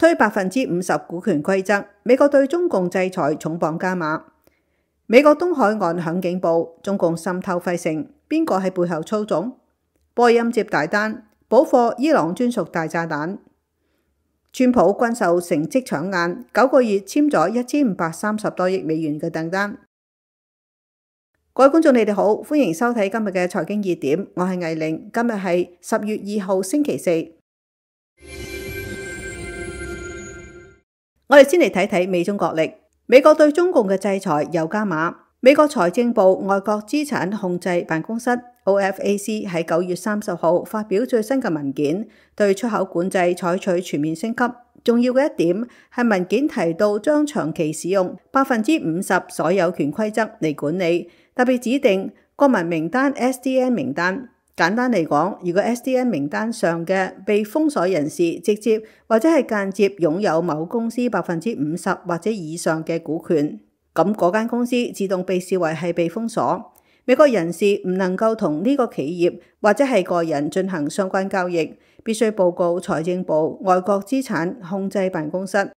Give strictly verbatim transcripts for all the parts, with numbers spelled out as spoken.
推百分之五十股權規則，美國對中共制裁重磅加碼。美國東海岸響警報，中共滲透費城，邊個喺背後操縱？波音接大單，補貨伊朗專屬大炸彈。川普軍售成績搶眼，九個月簽咗一千五百三十多億美元嘅訂單。各位觀眾，你哋好，歡迎收睇今日嘅財經熱點，我係魏玲。今日係十月二號星期四。我哋先嚟睇睇美中角力。美國對中共嘅制裁又加碼。美國財政部外國資產控制辦公室 O F A C 喺九月三十號發表最新嘅文件，對出口管制採取全面升級。重要嘅一點係文件提到將長期使用百分之五十所有權規則嚟管理，特別指定國民名單 S D N 名單。簡單嚟講，如果 S D N 名單上嘅被封鎖人士直接或者係間接擁有某公司百分之五十或者以上嘅股權，咁嗰間公司自動被視為係被封鎖。美國人士唔能夠同呢個企業或者係個人進行相關交易，必須報告財政部外國資產控制辦公室。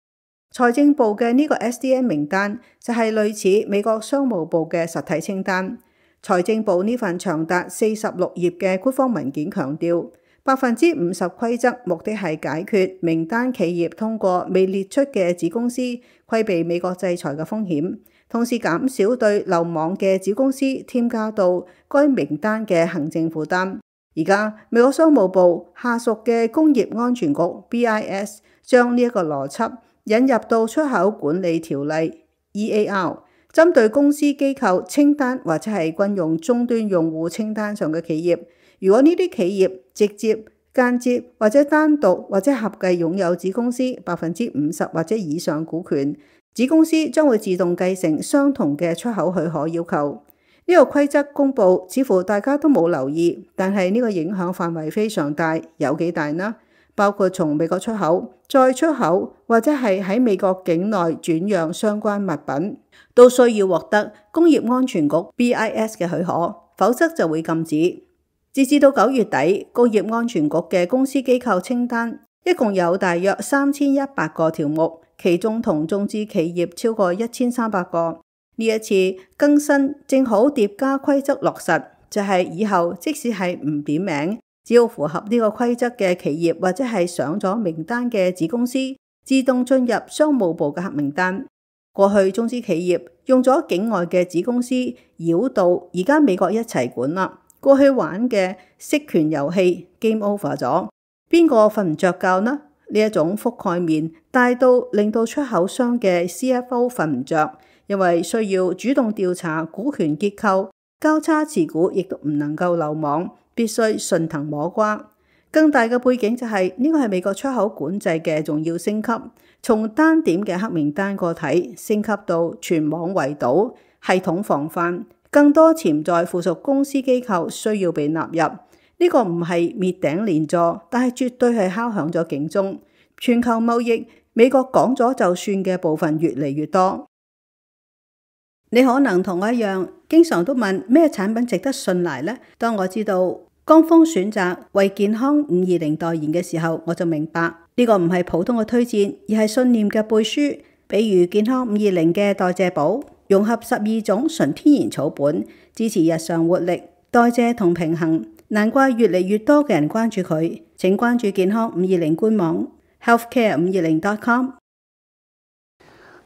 財政部嘅呢個 S D N 名單就係類似美國商務部嘅實體清單。財政部呢份長達四十六頁嘅官方文件強調，百分之五十規則目的係解決名單企業通過未列出嘅子公司規避美國制裁嘅風險，同時減少對漏網嘅子公司添加到該名單嘅行政負擔。而家美國商務部下屬嘅工業安全局 B I S 將呢一個邏輯引入到出口管理條例 E A R， 針對公司機構清單或者係軍用終端用戶清單上嘅企業，如果呢啲企業直接、間接或者單獨或者合計擁有子公司百分之五十或者以上股權，子公司將會自動繼承相同嘅出口許可要求。呢個規則公布，似乎大家都冇留意，但係呢個影響範圍非常大，有幾大呢？包括從美國出口、再出口或者係喺美國境內轉讓相關物品，都需要獲得工業安全局 B I S 嘅許可，否則就會禁止。截至到九月底，工業安全局嘅公司機構清單一共有大約三千一百個條目，其中同中資企業超過一千三百個。呢一次更新正好疊加規則落實，就係以後即使係唔點名，只要符合呢個規則嘅企業或者係上咗名單嘅子公司，自動進入商務部嘅黑名單。過去中資企業用咗境外嘅子公司繞道，而家美國一齊管啦。過去玩嘅息權遊戲 game over 咗，邊個瞓唔着覺呢？呢一種覆蓋面大到令到出口商嘅 C F O 瞓唔着，因為需要主動調查股權結構，交叉持股亦都唔能夠漏網，必須順藤摸瓜。更大嘅背景就係呢個係美國出口管制嘅重要升級，從單點嘅黑名單個體升級到全網圍堵，系統防範，更多潛在附屬公司機構需要被納入。呢個唔係滅頂連坐，但係絕對係敲響咗警鐘。全球貿易，美國講咗就算嘅部分越嚟越多。你可能同我一樣，經常都問咩產品值得信賴呢？當我知道江鋒選擇為健康五二零代言嘅時候，我就明白呢個唔係普通嘅推薦，而係信念嘅背書。比如健康五二零嘅代謝寶，融合十二種純天然草本，支持日常活力、代謝同平衡。難怪越嚟越多嘅人關注佢。請關注健康五二零官網 healthcare 五二零 dot com。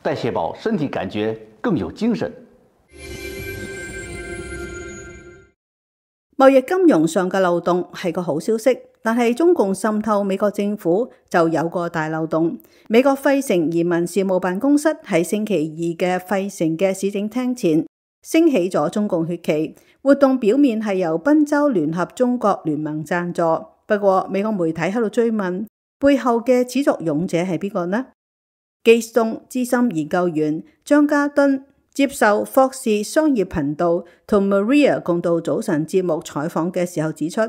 代謝寶，身體感覺更有精神。貿易金融上嘅漏洞係個好消息，但係中共滲透美國政府就有個大漏洞。美國費城移民事務辦公室喺星期二嘅費城嘅市政廳前升起咗中共血旗。活動表面係由賓州聯合中國聯盟贊助，不過美國媒體喺度追問背後嘅始作俑者係邊個呢？基斯東資深研究員張家敦接受霍士商業頻道同 Maria 共度早晨節目採訪嘅時候指出，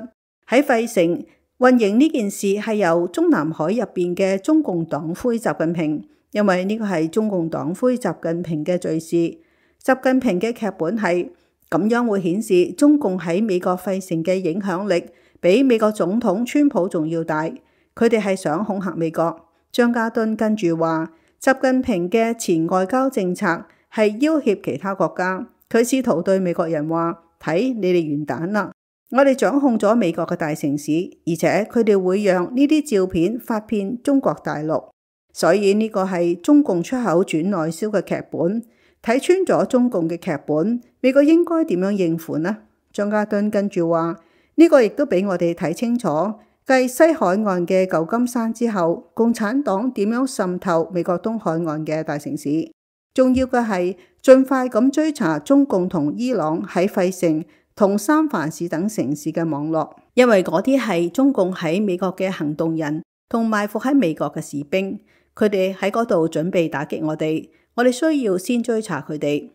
喺費城運營呢件事係由中南海入邊嘅中共黨魁習近平，因為呢個係中共黨魁習近平嘅罪事。習近平嘅劇本係咁樣會顯示中共喺美國費城嘅影響力比美國總統川普仲要大，佢哋係想恐嚇美國。張家敦跟住話，習近平嘅前外交政策係要挾其他國家，佢試圖對美國人話：睇你哋完蛋啦！我哋掌控咗美國嘅大城市，而且佢哋會讓呢啲照片發遍中國大陸，所以呢個係中共出口轉內銷嘅劇本。睇穿咗中共嘅劇本，美國應該點樣應付呢？張家敦跟住話：呢個亦都俾我哋睇清楚，繼西海岸嘅舊金山之後，共產黨點樣滲透美國東海岸嘅大城市。重要嘅係盡快咁追查中共同伊朗喺費城同三藩市等城市嘅網絡，因為嗰啲係中共喺美國嘅行動人同埋伏喺美國嘅士兵，佢哋喺嗰度準備打擊我哋，我哋需要先追查佢哋。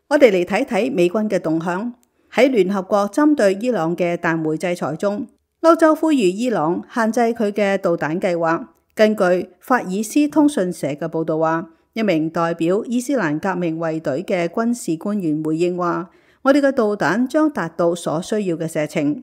我哋嚟睇睇美軍嘅動向。喺聯合國針對伊朗嘅彈劾制裁中，歐洲呼籲伊朗限制佢嘅導彈計劃。根據法爾斯通訊社嘅報導話，一名代表伊斯蘭革命衛隊嘅軍事官員回應話：我哋嘅導彈將達到所需要嘅射程。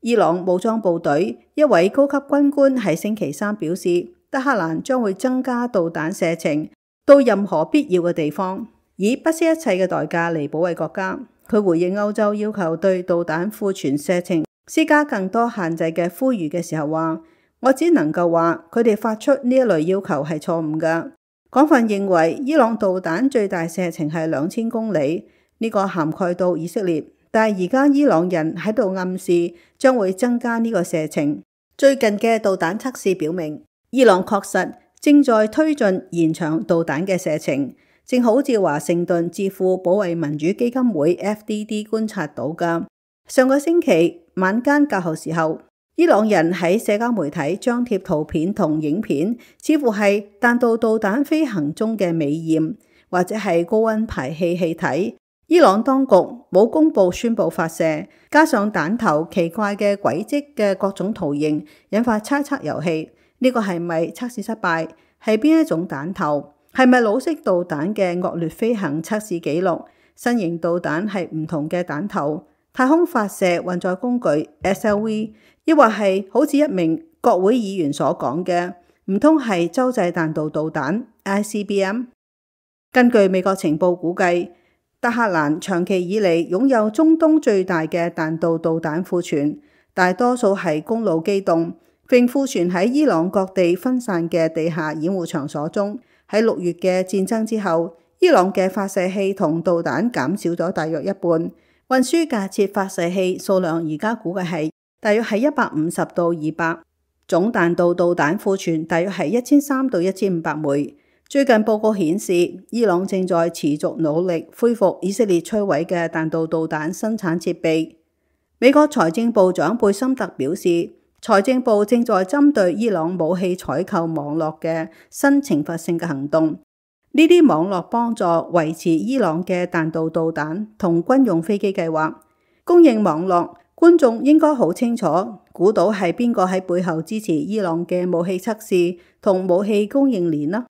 伊朗武裝部隊一位高級軍官喺星期三表示，德黑蘭將會增加導彈射程到任何必要嘅地方，以不惜一切嘅代價嚟保衛國家。佢回應歐洲要求對導彈庫存射程施加更多限制嘅呼籲嘅時候話：我只能夠話佢哋發出呢一類要求係錯誤㗎。廣泛認為伊朗導彈最大射程係兩千公里，呢個涵蓋到以色列，但係而家伊朗人喺度暗示將會增加呢個射程。最近嘅導彈測試表明，伊朗確實正在推進延長導彈嘅射程，正好似華盛頓智庫保衛民主基金會 F D D 觀察到㗎。上個星期晚間較後時候，伊朗人喺社交媒體張貼圖片同影片，似乎係彈道導彈飛行中嘅美豔，或者係高溫排氣氣體。伊朗當局冇公佈宣佈發射，加上彈頭奇怪嘅軌跡嘅各種圖形，引發猜測遊戲。呢、這個係咪測試失敗？係邊一種彈頭？係咪老式導彈嘅惡劣飛行測試記錄？新型導彈係唔同嘅彈頭？太空發射運載工具 S L V， 抑或係好似一名國會議員所講嘅，唔通係洲際彈道導彈 I C B M？ 根據美國情報估計，德黑蘭長期以嚟擁有中東最大嘅彈道導彈庫存，大多數係公路機動，並庫存喺伊朗各地分散嘅地下掩護場所中。喺六月嘅戰爭之後，伊朗嘅發射器同導彈減少咗大約一半。運輸架設發射器數量而家估計係大約係一百五十到二百，總彈道導彈庫存大約係一千三到一千五百枚。最近報告顯示，伊朗正在持續努力恢復以色列摧毀嘅彈道導彈生產設備。美國財政部長貝森特表示，財政部正在針對伊朗武器採購網絡嘅新懲罰性嘅行動。呢啲網絡幫助維持伊朗嘅彈道導彈同軍用飛機計劃。供應網絡，觀眾應該好清楚估到係邊個喺背後支持伊朗嘅武器測試同武器供應鏈啦。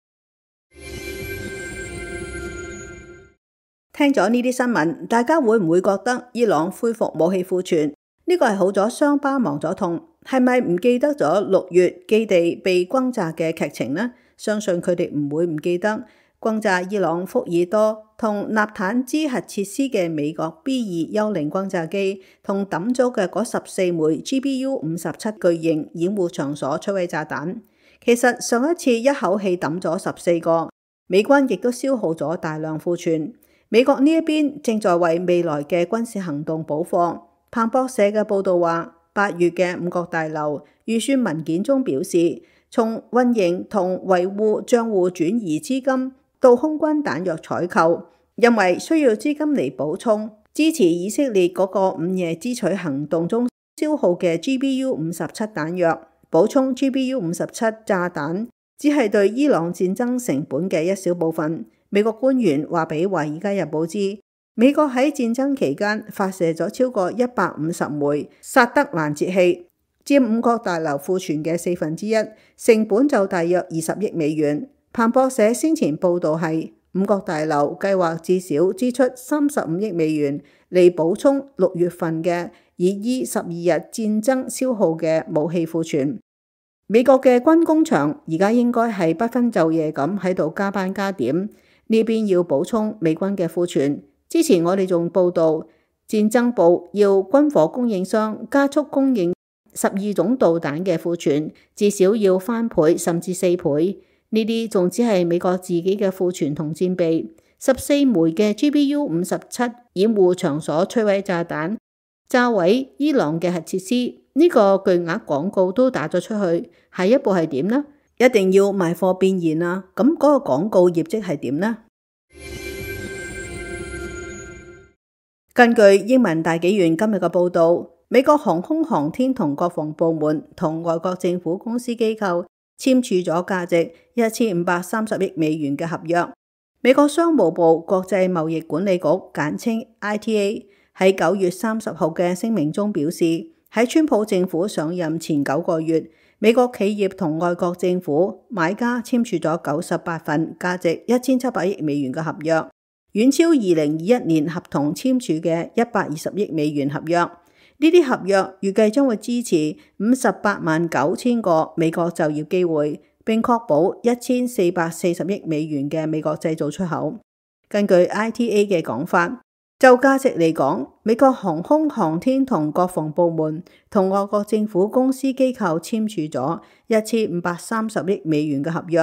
聽咗呢啲新聞，大家會唔會覺得伊朗恢復武器庫存呢個係好咗傷疤忘咗痛？係咪唔記得咗六月基地被轟炸嘅劇情呢？相信佢哋唔會唔記得。轟炸伊朗福爾多同納坦茲核設施嘅美國 B 二幽靈轟炸機，同抌咗嘅嗰十四枚 G B U 五十七巨型掩護場所摧毀炸彈。其實上一次一口氣抌咗十四個，美軍亦都消耗咗大量庫存。美國呢一邊正在為未來嘅軍事行動補貨。彭博社嘅報導話，八月嘅五角大樓預算文件中表示，從運營同維護帳戶轉移資金到空軍彈藥採購，因為需要資金嚟補充支持以色列嗰個午夜之取行動中消耗嘅 G B U 五十七彈藥。補充 G B U 五十七炸彈只係對伊朗戰爭成本嘅一小部分。美國官員話俾《華爾街日報》知，美國喺戰爭期間發射咗超過一百五十枚薩德攔截器，佔五角大樓庫存嘅四分之一，成本就大約二十億美元。彭博社先前報導係五角大樓計劃至少支出三十五億美元嚟補充六月份嘅以依十二日戰爭消耗嘅武器庫存。美國嘅軍工廠而家應該係不分晝夜咁喺度加班加點，呢邊要補充美軍嘅庫存。之前我哋仲報道，戰爭部要軍火供應商加速供應十二種導彈嘅庫存，至少要翻倍甚至四倍。呢啲仲只係美國自己嘅庫存同戰備。十四枚嘅 G B U 五十七掩護場所摧毀炸彈，炸毀伊朗嘅核設施。呢個巨額廣告都打咗出去，下一步係點呢？一定要賣貨變現啊！咁嗰個廣告業績係點呢？根據英文大紀元今日嘅報導，美國航空航天同國防部門同外國政府公司機構簽署咗價值一千五百三十億美元嘅合約。美國商務部國際貿易管理局簡稱 I T A 喺九月三十號嘅聲明中表示，喺川普政府上任前九個月，美國企業同外國政府買家簽署咗九十八份價值一千七百億美元嘅合約，遠超二零二一年合同簽署嘅一百二十億美元合約。呢啲合約預計將會支持五十八萬九千個美國就業機會，並確保一千四百四十億美元嘅美國製造出口。根據 I T A 嘅講法，就價值嚟講，美國航空航天同國防部門同外國政府公司機構簽署咗一千五百三十億美元嘅合約，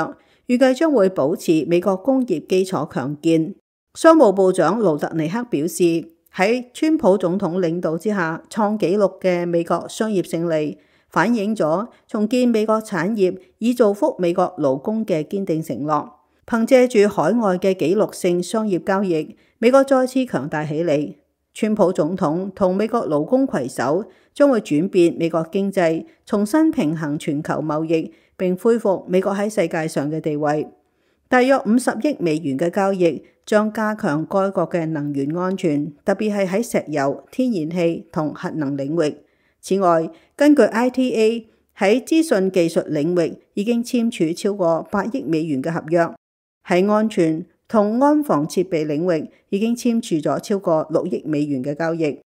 預計將會保持美國工業基礎強健。商務部長盧特尼克表示，喺川普總統領導之下創紀錄嘅美國商業勝利，反映咗重建美國產業以造福美國勞工嘅堅定承諾。憑借住海外嘅紀錄性商業交易，美國再次強大起嚟。川普總統同美國勞工攜手，將會轉變美國經濟，重新平衡全球貿易，並恢復美國喺世界上嘅地位。大約五十億美元嘅交易將加強該國嘅能源安全，特別係喺石油、天然氣同核能領域。此外，根據 I T A 喺資訊技術領域已經簽署超過八億美元嘅合約，喺安全同安防設備領域已經簽署咗超過六億美元嘅交易。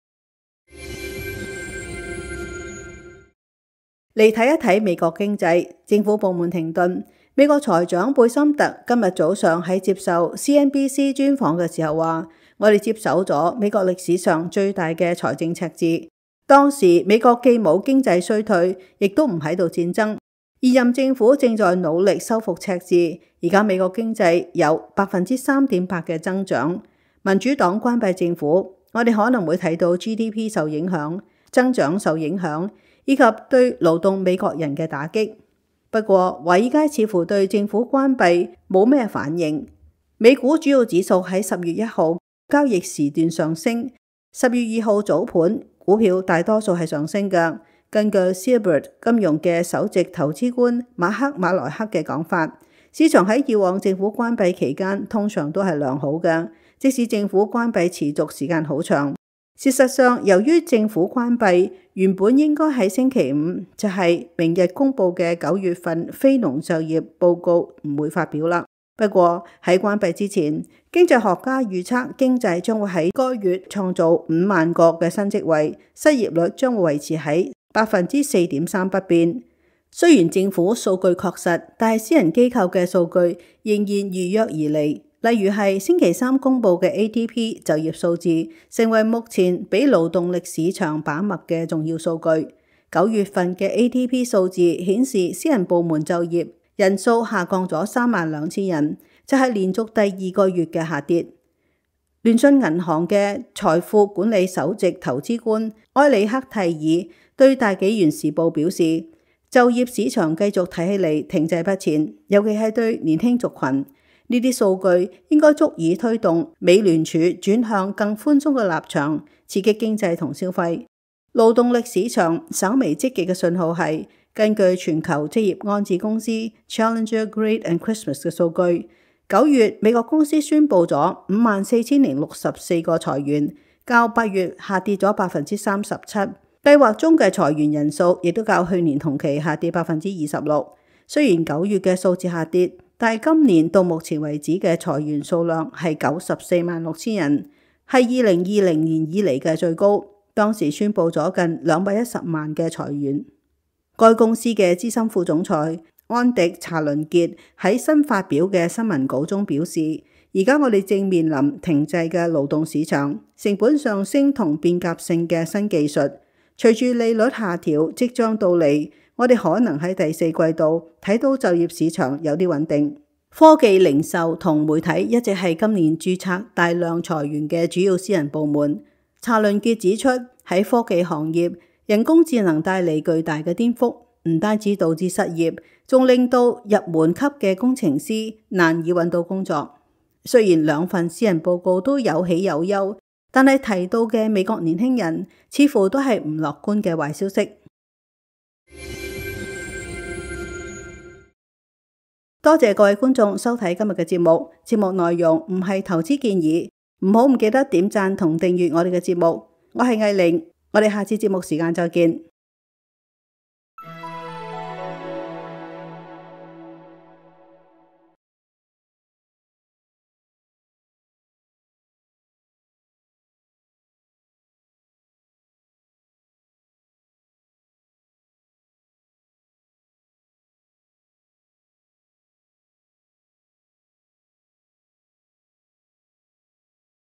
嚟睇一睇美國經濟，政府部門停頓。美國財長貝森特今日早上喺接受 C N B C 專訪嘅時候話，我哋接手咗美國歷史上最大嘅財政赤字。當時美國既冇經濟衰退，亦都唔喺度戰爭。現任政府正在努力修復赤字，而家美國經濟有百分之三點八嘅增長。民主黨關閉政府，我哋可能會睇到 G D P 受影響，增長受影響，以及對勞動美國人嘅打擊。不過，華爾街似乎對政府關閉冇咩反應。美股主要指數喺十月一號交易時段上升，十月二號早盤股票大多數係上升嘅。根據 Silbert 金融嘅首席投資官馬克馬萊克嘅講法，市場喺以往政府關閉期間通常都係良好嘅，即使政府關閉持續時間好長。事實上，由於政府關閉，原本應該喺星期五，就係明日公佈嘅九月份非農就業報告唔會發表啦。不過喺關閉之前，經濟學家預測經濟將會喺該月創造五萬個嘅新職位，失業率將會維持喺百分之四點三不變。雖然政府數據確實，但係私人機構嘅數據仍然預約而嚟。例如係星期三公佈嘅 A D P 就業數字，成為目前俾勞動力市場把脈嘅重要數據。九月份嘅 A D P 數字顯示，私人部門就業人數下降咗三萬兩千人，就係連續第二個月嘅下跌。聯信銀行嘅財富管理首席投資官埃里克蒂爾對大紀元時報表示，就業市場繼續睇起嚟停滯不前，尤其係對年輕族群。呢啲數據應該足以推動美聯儲轉向更寬鬆嘅立場，刺激經濟同消費。勞動力市場稍微積極嘅信號係根據全球職業安置公司 Challenger Grade and Christmas 嘅數據，九月美國公司宣布咗五萬四千零六十四個裁員，較八月下跌咗百分之三十七。計劃中嘅裁員人數亦都較去年同期下跌百分之二十六。雖然九月嘅數字下跌，但係今年到目前為止嘅裁員數量係九十四萬六千人，係二零二零年以嚟嘅最高。當時宣布咗近兩百一十萬嘅裁員。該公司嘅資深副總裁安迪查倫傑喺新發表嘅新聞稿中表示，而家我哋正面臨停滯嘅勞動市場、成本上升同變革性嘅新技術。隨住利率下調即將到嚟，我哋可能喺第四季度睇到就業市場有啲穩定。科技、零售同媒體一直係今年註冊大量裁員嘅主要私人部門。查倫傑指出，喺科技行業，人工智能帶嚟巨大嘅顛覆，唔單止導致失業，仲令到入門級嘅工程師難以揾到工作。雖然兩份私人報告都有喜有憂，但係提到嘅美國年輕人似乎都係唔樂觀嘅壞消息。多謝各位觀眾收睇今日嘅節目，節目內容唔係投資建議，唔好唔記得點讚同訂閱我哋嘅節目。我係藝玲，我哋下次節目時間再見。